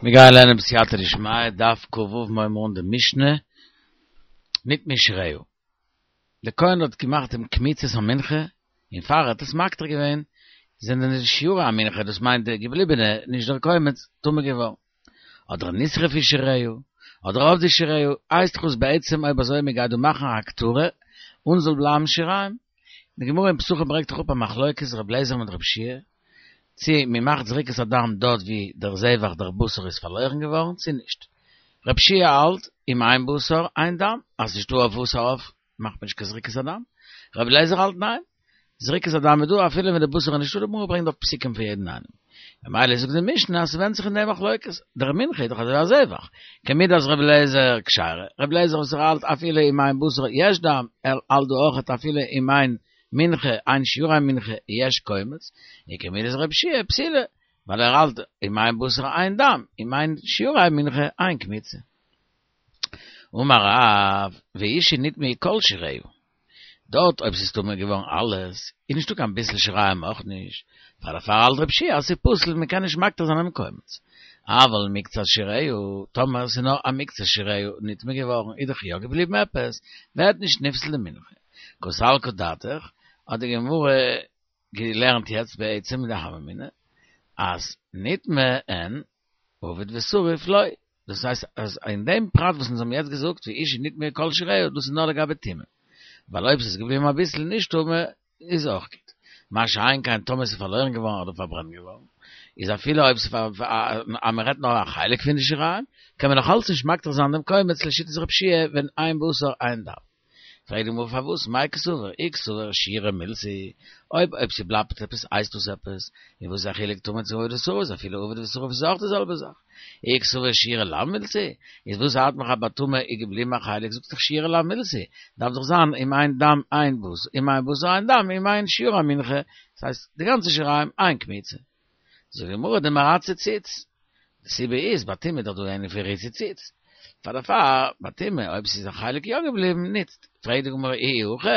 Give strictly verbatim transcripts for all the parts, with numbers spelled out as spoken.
מיר גייען לערנען בסייעתא דשמיא, דף כ"ו מיר הייבן אן די משנה, נטמאו שיריה. דער כהן האט געמאכט דעם קמיצת המנחה, און פאר ער האט עס מקטיר געווען, זענען די שיורי המנחה, דאס מיינט די געבליבענע, נישט דער קומץ, טמא געווארן. אדער נשרפו שיריה, אדער אבדו שיריה, הייסט דאך עס בעצם אויב אזוי מען גייט דא מאכן א הקטרה, און זאל בלייבן שיריים. די גמרא אין פסחים ברענגט דאך אפ א מחלוקת ר' אליעזר מיט ר' יהושע צי מען מאכט זריקת הדם דארט ווי דער זבח דער בשר איז פארלוירן געווארן צי נישט. ר' יהושע האלט אם אין בשר אין דם, אז ס'נישטא אויף וואס אויף מאכט מען נישט קיין זריקת הדם. ר' אליעזר האלט ניין, זריקת הדם איז דא אפילו ווען די בשר איז נישטא, די גמרא ברענגט דארט פסוקים פון יעדן איינעם. ממילא זאגט די משנה אז ס'ווענדט זיך אין די מחלוקת, דער מנחה איז דאך אזוי א זבח, כמידת ר' אליעזר כשרה, ר' אליעזר וואס ער האלט אפילו אם אין בשר יש דם, ער האלט דא אויכעט אפילו אם אין מנחה אין שיורי מנחה יש קומץ, און כמידת ר' יהושע פסולה, ווייל ער האלט אם אין בשר אין דם, אם אין שיורי מנחה אין קמיצה. אמר רב, והוא שנטמאו כל שיריה. דארט אויב ס'איז טמא געווארן אלעס, איז נישטא קיין ביסל שיריים אויך נישט, פאר דערפאר האלט ר' יהושע אז ס'איז פסול מ'קען נישט מקטיר זיין דעם קומץ. אבל מקצת שיריה, טאמער ס'איז נאר א מקצת שיריה נטמא געווארן איז דאך יא געבליבן עפעס, ווערט נישט נפסל די מנחה. קא סלקא דעתך, האט די גמרא געלערנט יעצט בעצם מיט די הוה אמינא, אז נטמא אין אבד ושרוף לא. דאס הייסט אז אין דעם פרט וואס אונז האבן יעצט געזאגט והוא שנטמאו כל שיריה דאס איז נאר לגבי טומאה. ווייל אויב ס'איז געבליבן אביסל נישט טמא איז אויך גוט. מה שאין כן טאמער ס'איז פארלוירן געווארן אדער פארברענט געווארן, איז אפילו אויב ס'איז אז מ'רעדט נאר א חלק פון די שיריים, קען מען נאך אלץ נישט מקטיר זיין דעם קומץ לשיטת ר' יהושע ווען אין בשר אין דם. פרעגט די גמרא פארוואס מאי קסבר אי קסבר שיורא מילתא היא, אויב אויב ס'בלייבט עפעס הייסט דאס עפעס, און וואס איז א חילוק טמא צו אבד ושרוף אפילו אבד ושרוף איז אויך די זעלבע זאך, אי קסבר שיורא לאו מילתא היא, איז וואס ארט מיך אז ביי טמא איז געבליבן א חלק זאגסט דאך שיורא לאו מילתא היא, דארף דאך זיין אם אין דם אין בשר אם אין בשר אין דם אם אין שיורי מנחה, דאס הייסט די גאנצע שיריים אין קמיצה. זאגט די גמרא דמרצה ציץ, די סיבה איז ביי טומאה איז דאך דא אן ענין פון ריצוי ציץ, פאר דערפאר ביי טומאה אויב ס'איז א חלק יא געבליבן ניצט, פרעגט די גמרא אי הכי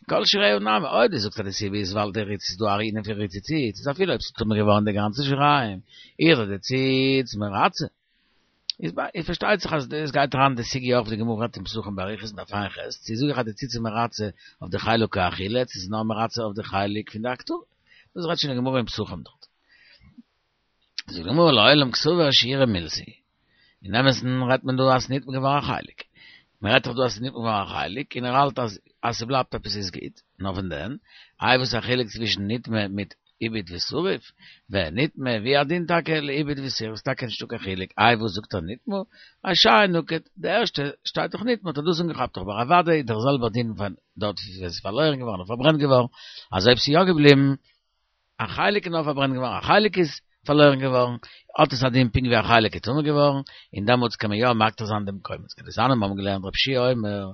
כל שיריה נמי, אויב דו זאגסט אז די סיבה איז ווייל די ריצ איז דא א ענין פון ריצוי ציץ, איז אפילו אויב ס'איז טמא געווארן די גאנצע שיריים, איז דאך די ציץ מרצה. איז ביי פארשטייט זיך אז דאס גייט אריין אין די סוגיא אויך ווי די גמרא רעדט אין פסחים באריכות אין דף ע"ח, צו זאג איך אז די ציץ איז מרצה אויף די חלק האכילה, צו ס'איז נאר מרצה אויף די חלק פון די הקטרה. דאס רעדט שוין די גמרא אין פסחים דארט. זאגט די גמרא לעולם קסבר שיורא מילתא היא. אין אמת'ן רעדט מען דא אז ס'איז נטמא געווארן א חלק. מען רעדט דאך דא אז ס'איז נטמא געווארן א חלק, און ער האלט אז אז ס'בלייבט עפעס איז גוט, נאר פון דען, איי וואס איז א חילוק צווישן נטמא מיט איבד ושרוף, ונטמא והוא הדין טאקע לאיבד ושרוף, ס'טאקע נישטא קיין חילוק, איי וואס זאגט ער נטמא, אשאר נקט, די ערשטע שטייט דאך נטמא האט ער דאס אנגעכאפט אבער אוודאי איז דער זעלבער דין פון דארט ווי עס איז פארלוירן געווארן און פארברענט געווארן, אז אויב ס'איז יא געבליבן א חלק איז נאר פארברענט געווארן, א חלק איז פארלוירן געווארן, האט עס א דין פונקט ווי א חלק איז טמא געווארן, און דעמאלטס קען מען יא מקטיר זיין דעם קומץ. כדתניא מיר האבן געלערנט רבי יהושע אומר,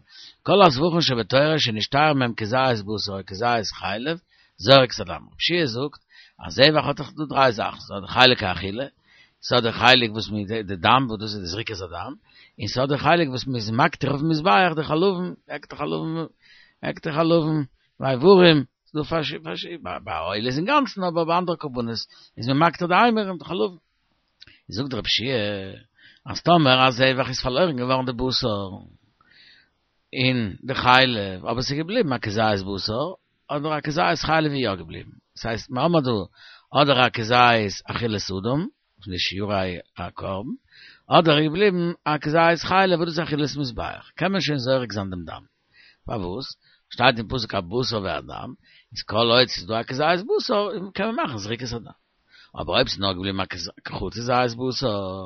כל הזבחין שבתורה שנשתייר מהם כזית בשר או כזית חלב, זורק את הדם. רבי יהושע זאגט, א זבח האט דאך דא דריי זאכן, ס'האט די חלק האכילה, ס'האט די חלק וואס מ'איז די דם וואס דאס איז די זריקת הדם, און ס'האט די חלק וואס מ'איז מקטיר אויפן מזבח די חלבים, הקטר חלבים, הקטר חלבים, ואיברים, ס'דא פארשידענע, ביי עולה איז אינגאנצן אבער ביי אנדערע קרבנות איז מען מקטיר די אימורים די חלבים. זאגט רבי יהושע אז טאמער א זבח איז פארלוירן געווארן די בשר און די חלב אבער ס'איז געבליבן א כזית בשר אדער א כזית חלב איז יא געבליבן, ס'הייסט מ'האמער דא אדער א כזית אכילת אדם פון די שיורי הקרבן, אדער איז געבליבן א כזית חלב וואס דאס איז אכילת מזבח, קען מען שוין זורק זיין דעם דם. פארוואס? שטייט אין פסוק הבשר והדם, איז כל עוד ס'איז דא א כזית בשר קען מען מאכן זריקת הדם. אבער אויב ס'איז נאר געבליבן א כחצי זית בשר,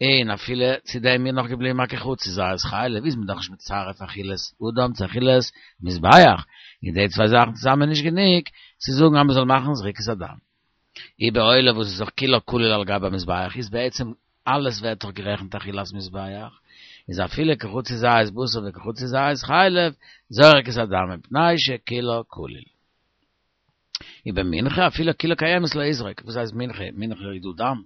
און אפילו צו דעם איז נאך געבליבן א כחצי זית חלב, איז מען דאך נישט מצרף אכילת אדם צו אכילת מזבח, און די צוויי זאכן צוזאמען איז נישט גענוג צו זאגן אז מ'זאל מאכן זריקת הדם. ובעולה וואס איז דאך כולה כליל על גבי המזבח איז בעצם אלעס ווערט דאך גערעכנט אכילת מזבח, איז אפילו כחצי זית בשר וכחצי זית חלב זורק את הדם מפני שכולה כליל. ובמנחה אפילו כולה קיימת לא יזרוק, וואס הייסט מנחה? מנחה איז דא דם,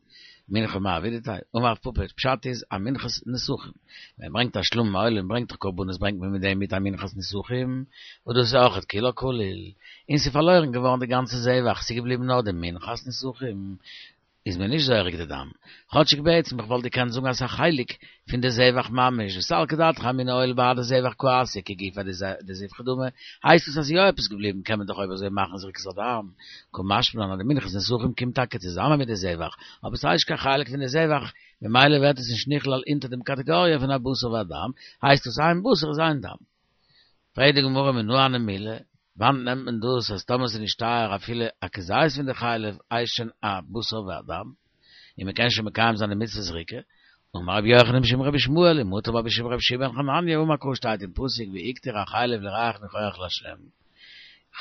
מנחה מאי עבידתיה, אמר רב פפא, פשט איז א מנחת נסכים, ווען מען ברענגט א שלמים א עולה מען ברענגט דאך קרבנות ברענגט מען מיט דעם מיט א מנחת נסכים, וואס דאס איז אויכעט כולה כליל, און ס'איז פארלוירן געווארן די גאנצע זבח, ס'איז געבליבן נאר די מנחת נסכים, איז מען נישט זורק די דם. כאטשיג בעצם, איך וואלט געקענט זאגן אז ס'איז א חלק פון די זבח ממש, וסלקא דעתך אמינא הואיל ובהדי זבח קאתיא כגופא דזבחא דמי, הייסט עס אז ס'איז יא עפעס געבליבן קען מען דאך אויב אזוי מאכן זריקת הדם. קא משמע לן אז די מנחת נסכים קומט טאקע צוזאמען מיט די זבח, אבער ס'הייסט נישט קיין חלק פון די זבח, ממילא ווערט עס נישט נכלל אונטער דעם קאטעגאריע פון א בשר ודם, הייסט עס איין בשר איז איין דם. פרעגט די גמרא מנא הני מילי, וואנעט נעמט מען דאס אז טאמער ס'איז נשתייר אפילו א כזית פון די חלב הייסט שוין א בשר ודם, און מ'קען שוין מקיים זיין די מצוות זריקה, אמר רבי יוחנן משום רבי ישמעאל ומטו בה בשם רבי יהושע בן חנניה אמר קרא שטייט אין פסוק והקטיר החלב לריח ניחוח לה'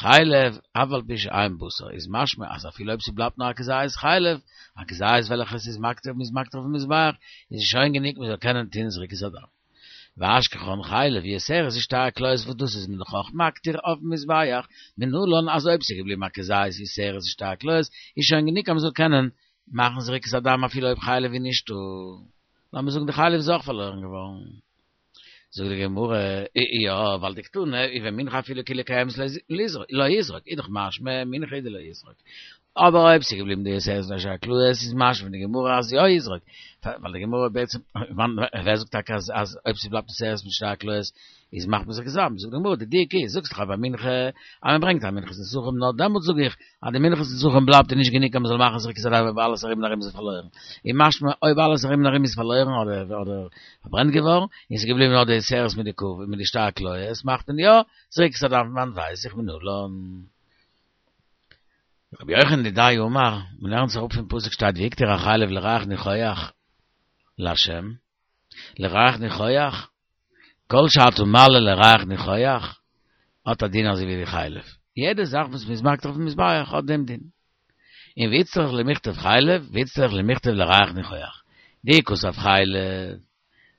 חלב אף על פי שאין בשר איז משמע אז אפילו אויב ס'בלייבט נאר א כזית חלב, א כזית וועלכעס איז מקטיר מ'איז מקטיר אויפן מזבח, איז עס שוין גענוג מ'זאל קענען טוהן זריקת הדם. ואשכחן חלב יתרת משתי הקליות וואס דאס איז מען דאך אויך מקטיר אויפן מזבח, מנלן אז אויב ס'איז געבליבן א כזית יתרת משתי הקליות איז שוין גענוג אז מ'זאל קענען מאכן זריקת הדם אפילו אויב חלב איז נישטא. לאמיר זאגן די חלב איז אויך פארלוירן געווארן. זאגט די גמרא, יא, ווייל דקתני ובמנחה אפילו כולה קיימת לא יזרוק, איז דאך משמע מנחה איז דלא יזרוק. אבער אויב ס'איז געבליבן די יתרת משתי הקליות איז משמע פון די גמרא אז יא יזרוק, ווייל די גמרא בעצם, ווער זאגט טאקע אז אז אויב ס'בלייבט יתרת משתי הקליות איז מאכט מען זריקת הדם, זאגט די גמרא די דיוק איז, זאגסט דאך אז ביי מנחה אז מען ברענגט א מנחת נסכים נאר דעמאלטס זאג איך אז די מנחת נסכים בלייבט איז נישט גענוג אז מען זאל מאכן זריקת הדם אויב אלעס ארום און ארום איז פארלוירן, איז משמע אויב אלעס ארום און ארום איז פארלוירן אדער אדער פארברענט געווארן און ס'איז געבליבן נאר די יתרת מיט די ק מיט די שתי הקליות מאכט מען יא זריקת הדם פון וואנעט ווייס איך מנלן. רבי יוחנן דידיה אמר, מען לערנט זיך אפ פון פסוק שטייט והקטיר החלב לריח ניחוח לה', לריח ניחוח, כל שאתה מעלה לריח ניחוח, האט א דין אזוי ווי די חלב. יעדע זאך וואס מ'איז מקטיר אויפן מזבח האט דעם דין. און ואיצטריך למיכתב חלב, ואיצטריך למיכתב לריח ניחוח. דאי כתב חלב,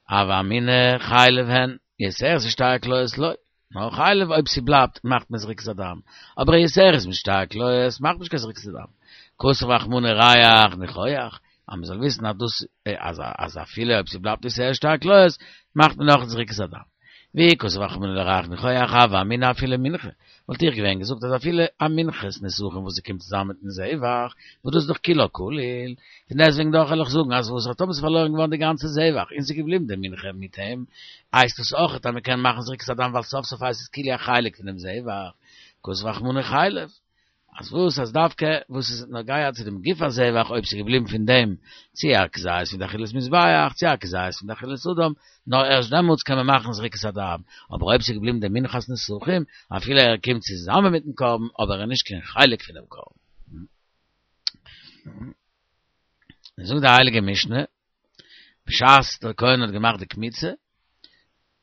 הוה אמינא חלב אין, יתרת משתי הקליות לא. נאר חלב אויב ס'בלייבט מאכט מען זריקת הדם, אבער יתרת משתי הקליות מאכט מען נישט קיין זריקת הדם. כתב רחמנא ריח ניחוח, אז מ'זאל וויסן אז דאס אז אז אפילו אויב ס'בלייבט יתרת שתי הקליות מאכט מען נאך זריקת הדם. ואי כתב רחמנא לריח ניחוח הוה אמינא אפילו מנחה, וואלט איך געווען געזאגט אז אפילו א מנחת נסכים וואס ס'קומט צוזאמען מיטן זבח, וואס דאס איז דאך כולה כליל, פון דעסטוועגן דאך וועל איך זאגן אז וואס טאמער ס'איז פארלוירן געווארן די גאנצע זבח און ס'איז געבליבן די מנחה מיט אים, הייסט עס אויכעט אז מ'קען מאכן זריקת הדם ווייל סוף סוף הייסט עס כאילו א חלק פון דעם זבח, כתב רחמנא חלב. אז וואס אז דווקא וואס איז נוגע צו דעם גוף הזבח אויב ס'איז געבליבן פון דעם צו א כזית פון די אכילת מזבח צו א כזית פון די אכילת אדם, נאר ערשט דעמאלטס קען מען מאכן זריקת הדם, אבער אויב ס'איז געבליבן די מנחת נסכים אפילו ער קומט צוזאמען מיטן קרבן אבער ער איז נישט קיין חלק פונעם קרבן. זאגט די הייליגע משנה, בשעת דער כהן האט געמאכט די קמיצה,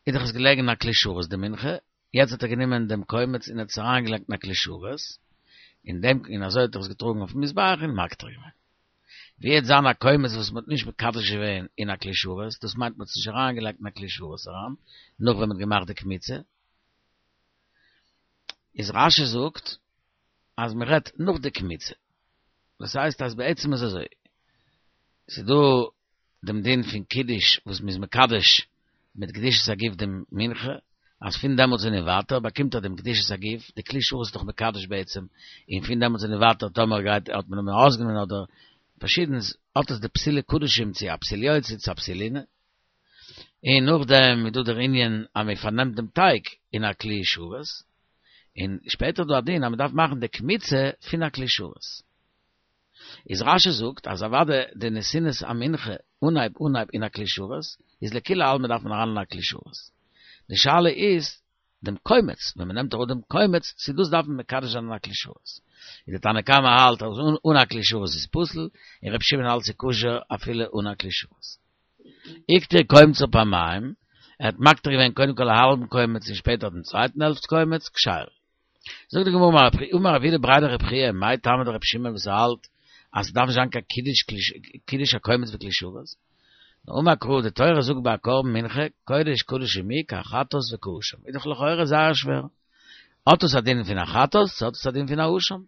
איז דאך עס געלעגן אין א כלי שרת די מנחה, יעצט האט ער גענומען דעם קומץ און האט עס אריינגעלייגט אין א כלי שרת, און דעם און אזוי האט ער עס געטראגן אויפן מזבח און מקטיר געווען. ווי וועט זיין א קומץ וואס מען האט נישט מקדש געווען אין א כלי שרת, דאס מיינט מען האט עס נישט אריינגעלייגט אין א כלי שרת אריין, נאך ווען מען האט געמאכט די קמיצה, איז רש"י זאגט אז מען רעדט נאך די קמיצה, דאס הייסט אז בעצם איז אזוי, ס'איז דא דעם דין פון קידוש וואס מ'איז מקדש מיט קדושת הגוף דעם מנחה, אז פון דעמאלטס און ווייטער באקומט ער דעם קדושת הגוף, די כלי שרת איז דאך מקדש בעצם, און פון דעמאלטס און ווייטער טאמער גייט האט מען אים ארויסגענומען אדער פארשידענס האט עס די פסולי קדשים צו א פסול יוצא צו א פסול לינה. און נאכדעם איז דא דער ענין אז מען פארנעמט דעם טייג אין א כלי שרת, און שפעטער איז דא א דין אז מען דארף מאכן די קמיצה פון א כלי שרת. איז רש"י זאגט אז אוודאי די נתינת המנחה אנהייב אנהייב אין א כלי שרת איז לכולי עלמא דארף מען אריין אין א כלי שרת. די שאלה איז דעם קומץ, ווען מען נעמט אראפ דעם קומץ, צו דאס דארף מען מקדש זיין אין א כלי שרת. איז די תנא קמא האלט אז אן א כלי שרת איז פסול, און ר' שמעון האלט ס'איז כשר אפילו אן א כלי שרת. הקטיר קומצו פעמיים, ער האט מקטיר געווען קודם כל א האלבן קומץ און שפעטער דעם צווייטן העלפט קומץ, כשרה. זאגט די גמרא אמר רב יהודה בריה דרב חייא מאי טעמא דרבי שמעון וואס ער האלט אז ס'דארף נישט זיין קיין קידוש קידוש הקומץ בכלי שרת, נאר אמר קרא די תורה זאגט ביי א קרבן מנחה קודש קדשים הוא כחטאת וכאשם איז דאך לכאורה זייער שווער האט עס א דין פון א חטאת צו האט עס א דין פון א אשם?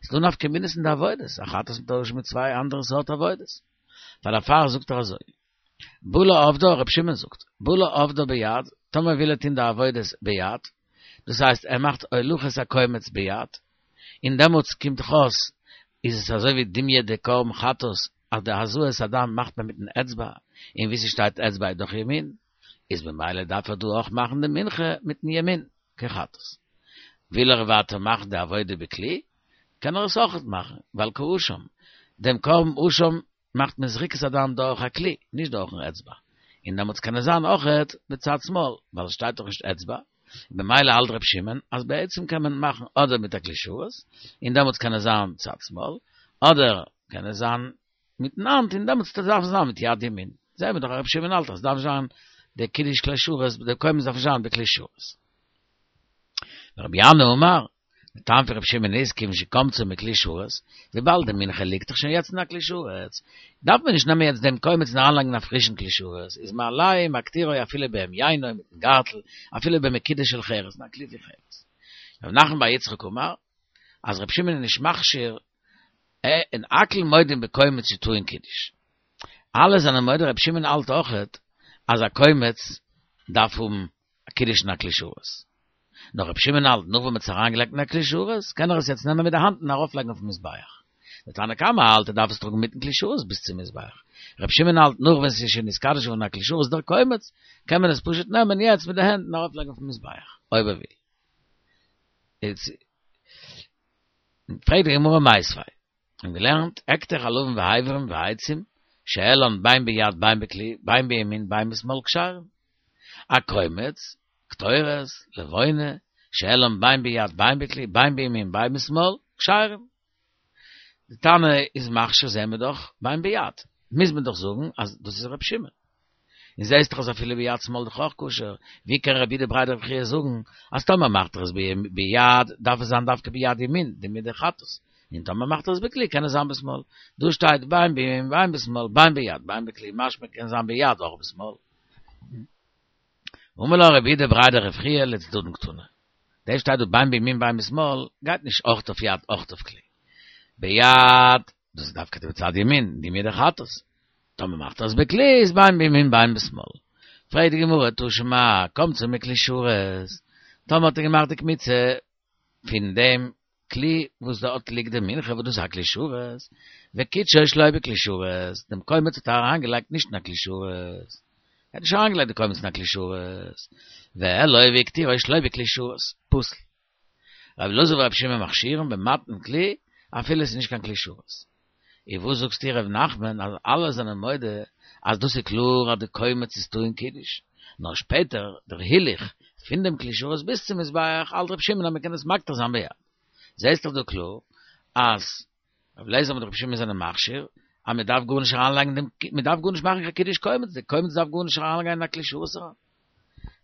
ס'איז דא נפקא מינות אין די עבודות, א חטאת מיט א אשם איז צוויי אנדערע סארט עבודות. פאר דערפאר זאגט ער אזוי. בא לעובדה, רבי שמעון זאגט, בא לעובדה ביד, טאמער וויל ער טון די עבודות ביד, דאס הייסט ער מאכט הולכת הקומץ ביד, און דעמאלטס קומט דאך אויס איז עס אזוי ווי דומיא דקרבן חטאת אז דער הזאת הדם מאכט מען מיטן אצבע, און ווי ס'שטייט אצבע איז דאך ימין, איז במילא דארף ער דא אויך מאכן די מנחה מיטן ימין, כחטאת. וויל ער ווייטער מאכן די עבודה בכלי, קען ער עס אויך מאכן, ווייל כאשם. דעם קרבן אשם מאכט מען זריקת הדם דורך א כלי, נישט דורכן אצבע. און דעמאלטס קען עס זיין אויכעט בצד שמאל, ווייל עס שטייט דאך נישט אצבע. במילא האלט ר' שמעון אז בעצם קען מען מאכן אדער מיט א כלי שרת, און דעמאלטס קען עס זיין צד שמאל, אדער קען עס זיין מיטן האנט, און דעמאלטס דארף עס זיין מיט יד ימין. זעהן מיר דאך אז ר' שמעון האלט אז עס דארף זיין דער קידוש כלי שרת, דער קומץ דארף זיין בכלי שרת. רבי ינאי אמר, דער טעם פון רבי שמעון איז כיוון שקמצו מכלי שרת, וויבאלד די מנחה ליגט דאך שוין יעצט אין א כלי שרת, דארף מען נישט נעמען יעצט דעם קומץ און אריינלייגן אין א פרישן כלי שרת, איז מעלהו ומקטירו אפילו בהמיינו מיטן גארטל, אפילו במקידה של חרס, אין א כלי פון חרס. רב נחמן בר יצחק אמר, אז רבי שמעון איז נישט מכשיר, און הכל מודים בקומץ שטעון קידוש. אלע זענען מודה רבי שמעון האלט אויכעט אז א קומץ דארף האבן א קידוש אין א כלי שרת. נאר רבי שמעון האלט, נאך ווען מ'האט עס אריינגעלייגט אין א כלי שרת, קען ער עס יעצט נעמען מיט די האנט און ארויפלייגן אויפן מזבח. דער תנא קמא האלט ער דארף עס טראגן מיטן כלי שרת ביז צום מזבח. רבי שמעון האלט, נאך ווען ס'איז שוין נתקדש געווארן אין א כלי שרת דער קומץ, קען מען עס פשוט נעמען יעצט מיט די הענט און ארויפלייגן אויפן מזבח, אויב ער וויל. איז פרעגט די גמרא מיתיבי, האבן געלערנט, הקטר חלבים ואיברים ועצים, שהעלן בין ביד בין בכלי, בין בימין בין בשמאל כשרים. א קומץ, קטורת, לבונה, שהעלן בין ביד בין בכלי, בין בימין בין בשמאל, כשרים. די תנא איז מכשיר זעהן מיר דאך בין ביד, מוז מען דאך זאגן אז דאס איז ר' שמעון. און זעהסט דאך אז אפילו ביד שמאל דאך אויך כשר, ווי קען רב יהודה בריה דרב חייא זאגן אז טאמער מאכט ער עס ביד דארף עס זיין דווקא ביד ימין, די מידה חטאת, און טאמער מאכט ער עס בכלי קען עס זיין בשמאל. דא שטייט בין בימין בין בשמאל, בין ביד בין בכלי, משמע קען זיין ביד אויך בשמאל. אמר לה רב יהודה בריה דרב חייא לצדדין קתני. דאס שטייט דא בין בימין בין בשמאל, גייט נישט אויך אויף יד אויך אויף כלי. ביד, דאס איז דווקא בצד ימין, די מידה חטאת. טאמער מאכט ער עס בכלי איז בין בימין בין בשמאל. פרעגט די גמרא תא שמע, קמצו מכלי שרת. טאמער האט ער געמאכט די קמיצה פון דעם כלי וואס דארט ליגט די מנחה וואס דאס איז א כלי שרת, וקידשו שלא בכלי שרת, דעם קומץ האט ער אריינגעלייגט נישט אין א כלי שרת, ער האט נישט אריינגעלייגט די קומץ אין א כלי שרת, והעלו והקטירו שלא בכלי שרת, פסול. רבי אלעזר ורבי שמעון מכשירין במתן כלי אפילו עס איז נישט קיין כלי שרת. און וואס זאגסטו ר' נחמן אז אלע זענען מודה אז דאס איז קלאר אז די קומץ איז טעון קידוש, נאר שפעטער דער הילוך פון דעם כלי שרת ביז צום מזבח האלט רבי שמעון אז מען קען עס מקטיר זיין ביד. זעהסט דאך דא קלאר אז רבי אליעזר מיט רבי שמעון זענען מכשיר אז מען דארף גארנישט אריינלייגן דעם מען דארף גארנישט מאכן קיין קידוש קומץ, די קומץ דארף גארנישט אריינגיין אין א כלי שרת אריין.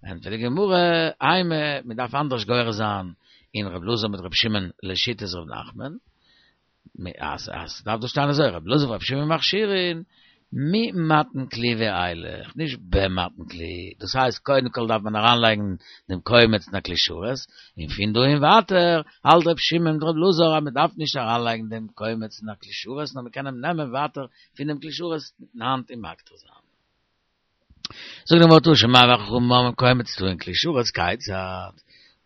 ענטפערט די גמרא, אימא, מען דארף אנדערש גורס זיין אין רבי אלעזר מיט רבי שמעון לשיטת ר' נחמן, אז אז דארף דא שטיין אזוי, רבי אלעזר ורבי שמעון מכשירין ממתן כלי ואילך, נישט במתן כלי, דאס הייסט קודם כל דארף מען אריינלייגן דעם קומץ אין א כלי שרת, און פון דא און ווייטער האלט רבי שמעון מיט רבי אלעזר אז מען דארף נישט אריינלייגן דעם קומץ אין א כלי שרת נאר מען קען אים נעמען ווייטער פונעם כלי שרת מיטן האנט און מקטיר זיין. זאגט די גמרא תא שמע וחכמים אומרים קומץ טעון כלי שרת כיצד?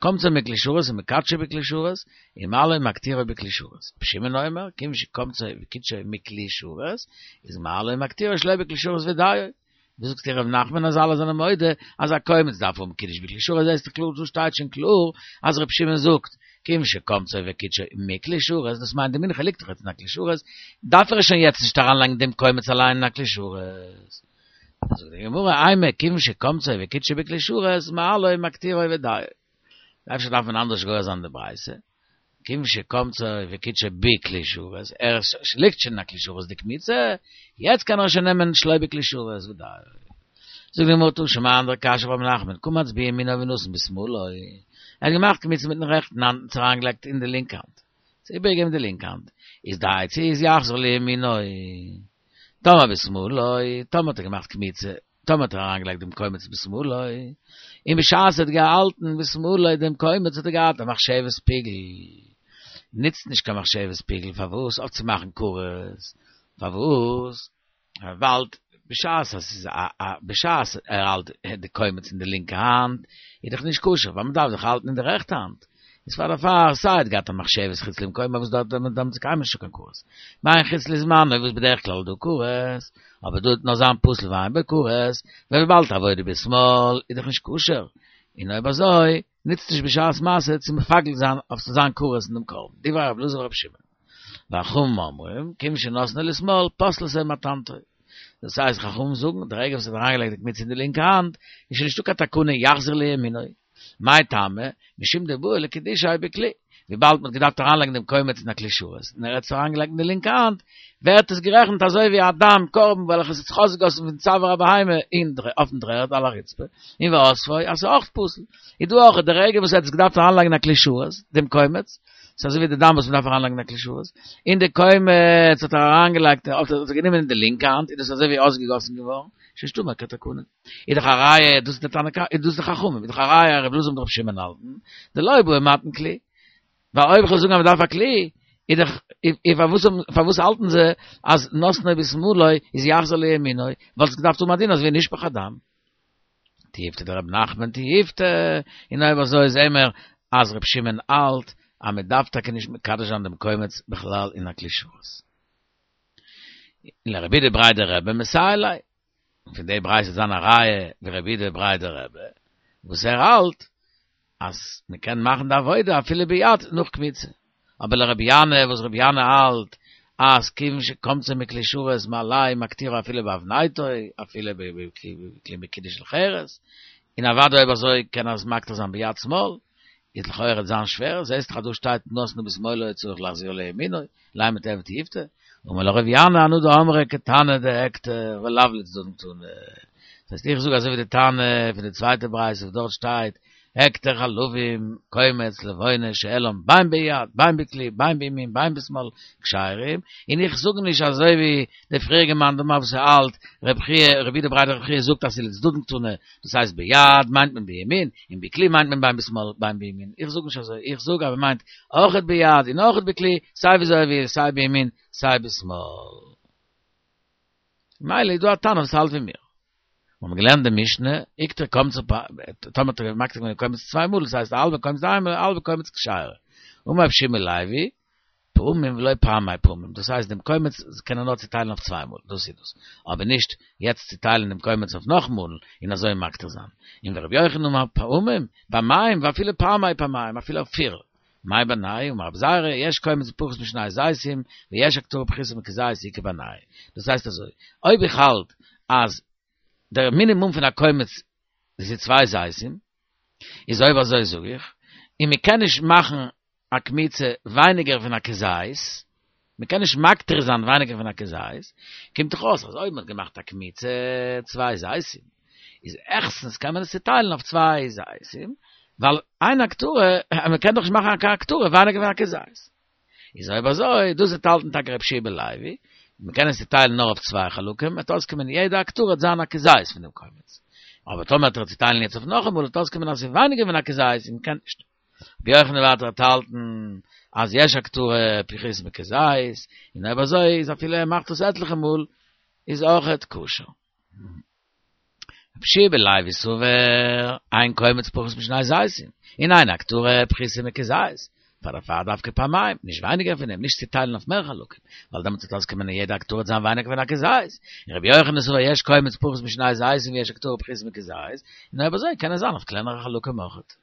קמצו מכלי שרת ומקדשו בכלי שרת ומעלו ומקטירו בכלי שרת. רבי שמעון אומר, כיוון שקמצו וקידשו מכלי שרת, איז מעלו ומקטירו שלא בכלי שרת ודיו. ווי זאגסטו ר' נחמן אז אלע זענען מודה אז א קומץ דארף האבן קידוש בכלי שרת, זעסט דאך קלאר דא שטייט שוין קלאר אז ר' שמעון זאגט כיוון שקמצו וקידשו מכלי שרת, דאס מיינט די מנחה ליגט דאך יעצט אין א כלי שרת, דארף ער שוין יעצט נישט אריינלייגן דעם קומץ אליין אין א כלי שרת. זאגט די גמרא, אימא כיוון שקמצו וקידשו בכלי שרת, מעלו ומקטירו ודיו. אפשר דארף מען אנדערש גורס זיין די ברייתא, כיוון שקמצו וקידשו בכלי שרת, ער ליגט שוין אין א כלי שרת די קמיצה, יעצט קען ער שוין נעמען שלא בכלי שרת ודיו. זאגט די גמרא תא שמע אנדערע קשיא אויף רב נחמן, קמץ בימינו ונתן בשמאלו, ער האט געמאכט קמיצה מיטן רעכטן האנט און עס אריינגעלייגט אין די לינקע האנט, עס איבערגעגעבן די לינקע האנט, איז די עצה איז יחזיר לימינו, טאמער בשמאלו, טאמער האט ער געמאכט קמיצה, טאמער האט ער אריינגעלייגט דעם קומץ בשמאלו, און בשעת ער האט געהאלטן בשמאלו דעם קומץ האט ער געהאט א מחשבת פיגול, נוצט נישט קיין מחשבת פיגול, פארוואס? אויף צו מאכן כרת, פארוואס? ווייל בשעת אז ס'איז א א בשעת ער האלט די קומץ אין די לינקע האנט איז דאך נישט כשר, ווייל מ'דארף דאך האלטן אין די רעכטע האנט, איז פאר דערפאר סיי האט געהאט א מחשבת חוץ למקומו וואס דארט דארט דארט איז קיינמאל נישטא קיין כרת. מה אין חוץ לזמנו וואס בדרך כלל דא כרת, אבער דא וועט נאר זיין פסול ואין בו כרת, וויבאלד עבודה בשמאל איז דאך נישט כשר, און אויב אזוי נוצט נישט בשעת מעשה צו מפגל זיין אויף ס'זאל זיין כרת אין דעם קרבן, דברי רב אלעזר ורב שמעון. וחכמים אומרים, כיוון שנתנו לשמאל, פסלתו מתנתו. דאס הייסט חכמים זאגן, די רגע וואס ער האט אריינגעלייגט די קמיצה אין די לינקע האנט, איז שוין נישטא קיין תקנה יחזיר לימינו. מאי טעמא? משום דבעי לקדושיה בכלי. וויבאלד מ'האט געדארפט אריינלייגן דעם קומץ אין א כלי שרת, און ער האט עס אריינגעלייגט אין די לינקע האנט, ווערט עס גערעכנט אזוי ווי א דם קרבן וועלכעס האט זיך אויסגעגאסן פון צוואר הבהמה אין אויפן דר'ערד על הרצפה, און ואספו, אז ס'איז אויך פסול. איז דא אויך די רגע וואס ער האט עס געדארפט אריינלייגן אין א כלי שרת, דעם קומץ, ס'איז אזוי ווי די דם וואס מ'דארף אריינלייגן אין א כלי שרת, און די קומץ האט ער אריינגעלייגט, האט ער גענומען אין די לינקע האנט, איז דאס אזוי ווי אויסגעגאסן געווארן, שוין נישטא מער קיין תקנה. איז דאך א ראיה, דאס איז די תנא קמא, איז דאס די חכמים, איז דאך א ראיה ר' אלעזר מיט ר' שמעון האלטן, דלא בעי מתן כלי. ווייל אויב איך וועל זאגן אז מ'דארף א כלי, איז דאך, איז פארוואס פארוואס האלטן זיי אז נתנו בשמאלו איז יחזיר לימינו, וואלט עס געדארפט האבן א דין אזוי ווי נשפך הדם. תיובתא דרב נחמן תיובתא, און אויב אזוי זעהן מיר אז ר' שמעון האלט אז מען דארף טאקע נישט מקדש זיין דעם קומץ בכלל אין א כלי שרת. און לרב אידי בריה דרבי מסייע ליה, און פון די ברייתא וועט זיין א ראיה ווי רב אידי בריה דרבי וואס ער האלט אז מען קען מאכן די עבודה אפילו ביד נאך קמיצה, אבער לרבי ינאי וואס רבי ינאי האלט אז כיוון שקמצו מכלי שרת מאליה מקטירו אפילו באבנטו אפילו בכלי מקודש של חרס, און אוודאי אויב אזוי קען ער עס מקטיר זיין ביד שמאל, איז לכאורה וועט זיין שווער, זעסט דאך אז דא שטייט נתנו בשמאלו צריך להחזיר לימינו, לימא תיהוי תיובתא, אמר לך רבי ינאי אנא דאמרי כתנא דהקטר ולאו לצדדים קתני, דאס הייסט איך זאג אזוי ווי די תנא פון די צווייטע ברייתא וואס דארט שטייט הקטר חלבים קומץ לבונה שהעלם בין ביד בין בכלי בין בימין בין בשמאל כשרים, און איך זאג נישט אזוי ווי די פריעריגע מאן דאמר וואס האלט רב חייא רב אידי בריה דרב חייא זאגט אז ס'איז לצדדים קתני, דאס הייסט ביד מיינט מען בימין און בכלי מיינט מען בין בשמאל בין בימין, איך זאג נישט אזוי, איך זאג אז מ'מיינט אויכעט ביד און אויכעט בכלי, סיי וויאזוי ער וויל, סיי בימין סיי בשמאל. ממילא איז דא א תנא וואס האלט ווי מיר. מיר האבן געלערנט די משנה, הקטיר קומצו פ, טאמער האט ער מקטיר געווען קומץ צוויי מאל, דאס הייסט א האלבע קומץ איינמאל, א האלבע קומץ כשרה. אמר רבי יהושע בן לוי, פעמים ולא פעמי פעמים, דאס הייסט דעם קומץ קען ער נאר צוטיילן אויף צוויי מאל, דאס איז דאס, אבער נישט יעצט צוטיילן דעם קומץ אויף נאך מאל און אזוי מקטיר זיין. און ורבי יוחנן אמר פעמים, פעמיים ואפילו פעמי פעמיים, אפילו אויף פיר. מאי בינייהו אמר רבי זירא, יש קומץ פחות משני זיתים, ויש הקטרה פחותה מכזית איכא בינייהו. דאס הייסט אזוי, אויב איך האלט אז דער מינימום פון א קומץ איז צוויי זיתים, איז אויב אזוי זאג איך, און מען קען נישט מאכן א קמיצה ווייניגער פון א כזית, מען קען נישט מקטיר זיין ווייניגער פון א כזית, קומט דאך אויס אז אויב מען האט געמאכט א קמיצה צוויי זיתים, איז העכסטנס קען מען עס צוטיילן אויף צוויי זיתים, ווייל אין הקטרה, מען קען דאך נישט מאכן קיין הקטרה ווייניגער פון א כזית. איז אויב אזוי, דאס וועט האלטן טאקע רבי יהושע בן לוי, מען קען עס צוטיילן נאר אויף צוויי חלקים, וועט אויסקומען יעדע הקטרה וועט זיין א כזית פון דעם קומץ. אבער טאמער וועט ער צוטיילן יעצט אויף נאכאמאל וועט אויסקומען אז ס'איז ווייניגער פון א כזית און מען קען נישט. רבי יוחנן ווייטער וועט האלטן אז יש הקטרה פחותה מכזית, און אויב אזוי איז אפילו ער מאכט עס עטליכע מאל איז אויכעט כשר. רבי יהושע בן לוי סבר אין קומץ פחות משני זיתים, און אין הקטרה פחותה מכזית, פאר דערפאר דווקא פעמיים, נישט ווייניגער פון דעם, נישט צוטיילן אויף מער חלקים, ווייל דעמאלטס וועט אויסקומען אז יעדע הקטרה וועט זיין ווייניגער פון א כזית, און רבי יוחנן סבר יש קומץ פחות משני זיתים ויש הקטרה פחותה מכזית, און אויב אזוי קען עס זיין אויף קלענערע חלקים אויכעט.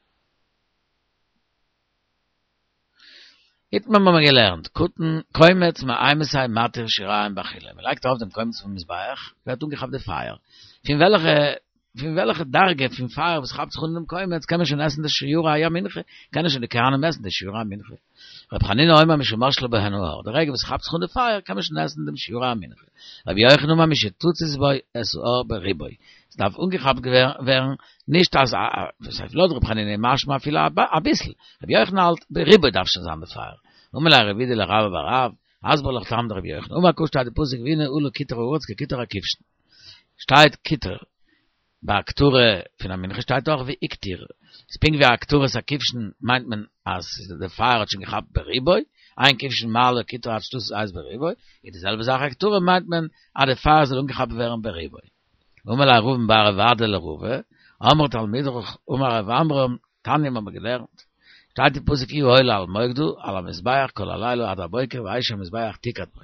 איתמר האבן מיר געלערנט, קטן, קומץ מאימתי מתיר שיריים באכילה, מען לייגט ארויף דעם קומץ אויפן מזבח, ווערט אנגעכאפט די פייער, פון וועלכע פון וועלכע דרגה פון פייער וואס כאפט זיך אן דעם קומץ קען מען שוין עסן די שיורי המנחה, קענען שוין די כהנים עסן די שיורי המנחה. רבי חנינא אומר משמשלה בהן האור, די רגע וואס כאפט זיך אן די פייער קען מען שוין עסן דעם שיורי המנחה. רבי יוחנן אומר משתצית בו את האור ברובו, עס דארף אנגעכאפט ווערן, נישט אז וואס הייסט לויט רבי חנינא איז משמע אפילו אביסל, רבי יוחנן האלט ברובו דארף שוין זיין די פייער. אמר ליה רב אידי לרבה בר רב, הסבר לך טעמא דרבי יוחנן, אמר קרא שטייט די פסוק והנה עלה קיטור הארץ כקיטור הכבשן. שטייט קיטור, ביי הקטרה פון א מנחה שטייט אויך והקטיר, איז פונקט ווי הקטרת הכבשן מיינט מען אז די פייער האט שוין געכאפט ברובו, אין כבשן מעלה קיטור עד שתצית האש ברובו, איז די זעלבע זאך הקטרה מיינט מען אז די פייער זאל אנגעכאפט ווערן ברובו. אמר ליה רבין בר רב אדא לרבא, אמרה תלמידך אמר רב עמרם, תניא האבן מיר געלערנט, שטייט אין פסוק יהיו העולה על מוקדה, על המזבח כל הלילה עד הבוקר, ואש המזבח תוקד בו.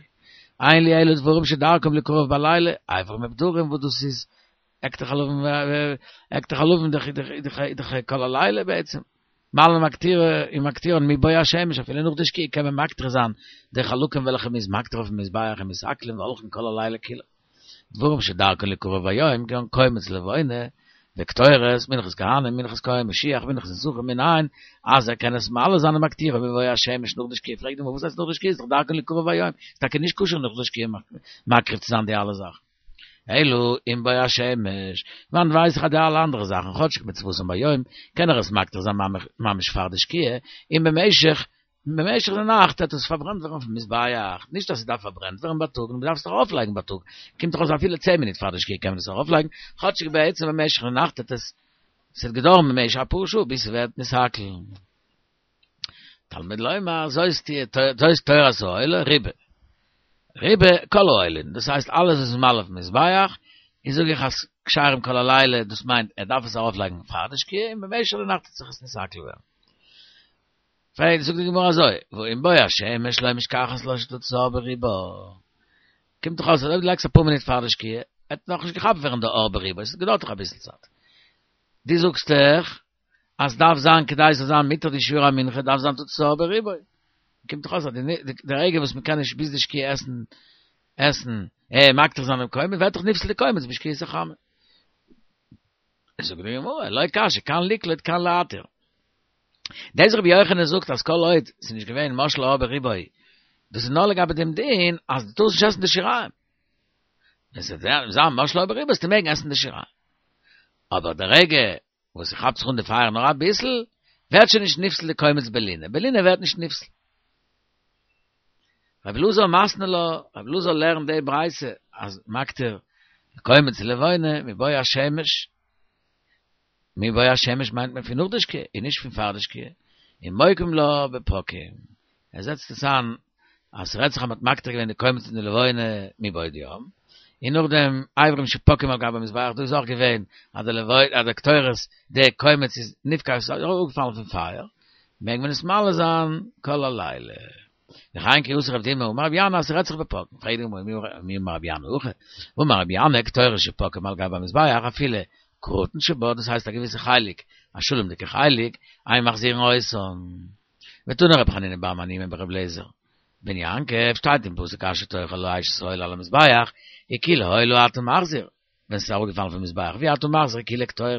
אין לי אלא דברים שדרכם ליקרב בלילה, אברים ופדרים, וואס דאס איז הקטר חלבים הקטר חלבים דאך דאך דאך כל הלילה בעצם. מעלין ומקטיר ומקטירין מבוא השמש, אפילו נאך די שקיעה קען מען מקטיר זיין די חלקים וועלכע מ'איז מקטיר אויפן מזבח ומתעכלין והולכין כל הלילה כולו. דברים שדרכן ליקרב ביום, כגון קומץ לבונה, וקטורת, מנחת כהנים, מנחת כהן משיח, מנחת נסכים, מנין, אז ער קען עס מעלה זיין ומקטירו מבוא השמש נאך די שקיעה, פרעגט די גמרא וואס הייסט נאך די שקיעה, איז דאך דרכן ליקרב ביום, איז טאקע נישט כשר נאך די שקיעה מקריב צו זיין די אלע זאכן. אלא עם בוא השמש, וואנעט ווייס איך אז די אלע אנדערע זאכן, כאטשיג מצוותן ביום, קען ער עס מקטיר זיין ממש פאר די שקיעה, און במשך במשך די נאכט וועט עס פארברענט ווערן אויפן מזבח, נישט אז ס'דארף פארברענט ווערן בייטאג, נאר מ'דארף עס דאך ארויפלייגן בייטאג, קומט דאך אויס אפילו צען מינוט פאר די שקיעה קען מען עס ארויפלייגן, כאטשיג בעצם במשך די נאכט וועט עס, ס'וועט געדויערן במשך אפאר שעה ביז ס'ווערט נתעכל. תלמוד לומר, זאת תהיה, זאת תורת העולה, רובה. רובה כל העולין, דאס הייסט אלעס וואס איז מעלה אויפן מזבח, איז זאג איך אז כשרים כל הלילה, דאס מיינט ער דארף עס ארויפלייגן פאר די שקיעה און במשך די נאכט וועט זיך עס נתעכל ווערן. פרעגט זאגט די גמרא אזוי, והא עם בוא השמש לא משכחת לה שתוצאה ברובה, קומט דאך אויס אז אויב דו לייגסט אפאר מינוט פאר די שקיעה, וועט נאכנישט געכאפט ווערן די אור ברובה, עס געדויערט דאך אביסל צייט. דו זאגסט דאך אז דארף זיין כדי ס'זאל זיין מותר די שיעור המנחה דארף זיין תוצאה ברובה. קומט דאך אויס אז די רגע וואס מ'קען נישט ביז די שקיעה עסן עסן אה מקטיר זיין דעם קומץ ווערט דאך נפסל די קומץ בשקיעת החמה. זאגט די גמרא, לא קשיא, כאן לקלוט כאן להתיר. דאס רבי יוחנן זאגט אז כל עוד ס'איז נישט געווען משל האור ברובו, דאס איז נאר לגבי דעם דין אז דו טארסט נישט עסן די שיריים. ווען ס'וועט זיין משל האור ברובו וועסטו מעגן עסן די שיריים. אבער די רגע וואס ס'כאפט זיך אן די פייער נאר אביסל, ווערט שוין נישט נפסל די קומץ בלינה, בלינה ווערט נישט נפסל. רבי אלעזר מתני לה, רבי אלעזר לערנט די ברייתא אז מקטיר קומץ לבונה מבוא השמש, מבוא השמש מיינט מען פון נאך די שקיעה און נישט פון פאר די שקיעה, און מוקים לה בפקעים, ער זעצט עס איין אז ס'רעדט זיך אז מ'האט מקטיר געווען די קומץ און די לבונה מבעוד יום, און נאכדעם אברים שפקעים על גבי המזבח, דא איז אויך געווען אז די לבונה אז די קטורת די קומץ איז נפקע עס איז אראפגעפאלן פון פייער, מעג מען עס מעלה זיין כל הלילה. וכן כי אתא רב דימי אמר רבי ינאי אז ס'רעדט זיך בפקעין, פרעגט די גמרא מי אמר רבי ינאי הכי, והאמר רבי ינאי קטורת שפקעה מעל גבי המזבח אפילו קרטון שבה, דאס הייסט א געוויסע חלק, א שלום'דיגע חלק, אין מחזירין אותן. ותני רבי חנינא בר מניומי ברבי אליעזר בן יעקב, שטייט אין פסוק אשר תאכל האש את העולה על המזבח, כי לעולה אתה מחזיר, ווען ס'איז אראפגעפאלן פון מזבח, ואי אתה מחזיר כולה קטורת,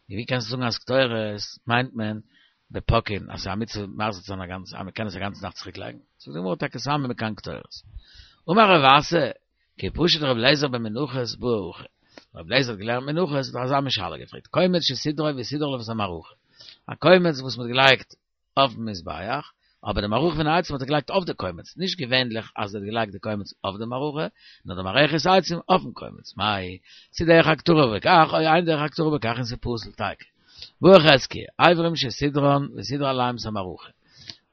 און ווי קענסטו זאגן אז קטורת מיינט מען בפקעין, אז ס'איז א מצוה מחזיר צו זיין א גאנצע, אז מ'קען עס א גאנצע נאכט צוריק לייגן, זאגט די גמרא טאקע סמא מכאן קטורת. אמר רב אסי, כי פשט רבי אליעזר במנחות בעי הכי, רבי אליעזר האט געלערנט מנחות האט ער אזא מין שאלה געפרעגט, קומץ שסידרו וסידר עליו את המערכה, א קומץ וואס מ'האט געלייגט אויפן מזבח, אבער די מערכה פון עצים האט ער געלייגט אויף די קומץ, נישט געווענליך אז ער האט געלייגט די קומץ אויף די מערכה, נאר די מערכת עצים אויפן קומץ, מאי, צו דרך הקטרה בכך, או אין דרך הקטרה בכך און ס'פסול תיקו. בעי חזקיה, אברים שסידרן וסידר עליהם את המערכה.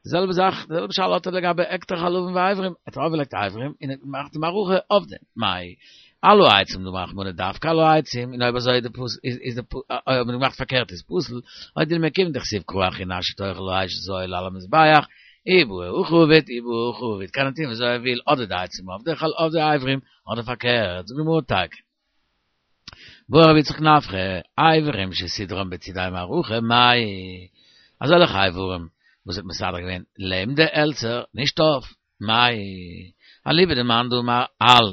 די זעלבע זאך, די זעלבע שאלה האט ער לגבי הקטר חלבים ואברים, ער האט ארויפגעלייגט אברים און ער האט געמאכט די מערכה אויף דעם, מאי, על העצים דאמר רחמנא דווקא על העצים, און אויב אזוי איז די פסול, איז די, אויב האט מען געמאכט פארקערט איז פסול, או דילמא כיוון דכתיב קרא אחרינא אשר תאכל האש את העולה על המזבח, אי בעי הכי עביד אי בעי הכי עביד, קען ער טון וויאזוי ער וויל, אדער די עצים אויף די אויף די אברים, אדער פארקערט, זאגט די גמרא תיקו. בעי רבי יצחק נפחא, אברים שסידרן בצידי מערכה, מאי, אזעלכע אברים וואס האט מסדר געווען לעבן די העלצער, נישט אויף, מאי, אליבא דמאן דאמר על,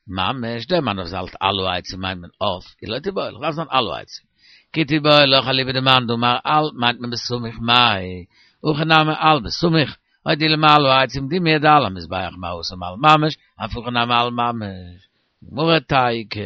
ממש, דער מאן וואס האלט על העצים מיינט מען אויף, איז לא תיבעי לך, דארף זיין על העצים. כי תיבעי לך אליבא דמאן דאמר על מיינט מען בסמוך מאי, הכא נמי על בסמוך, או דילמא על העצים דומיא דעל המזבח מה התם על ממש, אף הכא נמי על ממש. גמרא תיקו.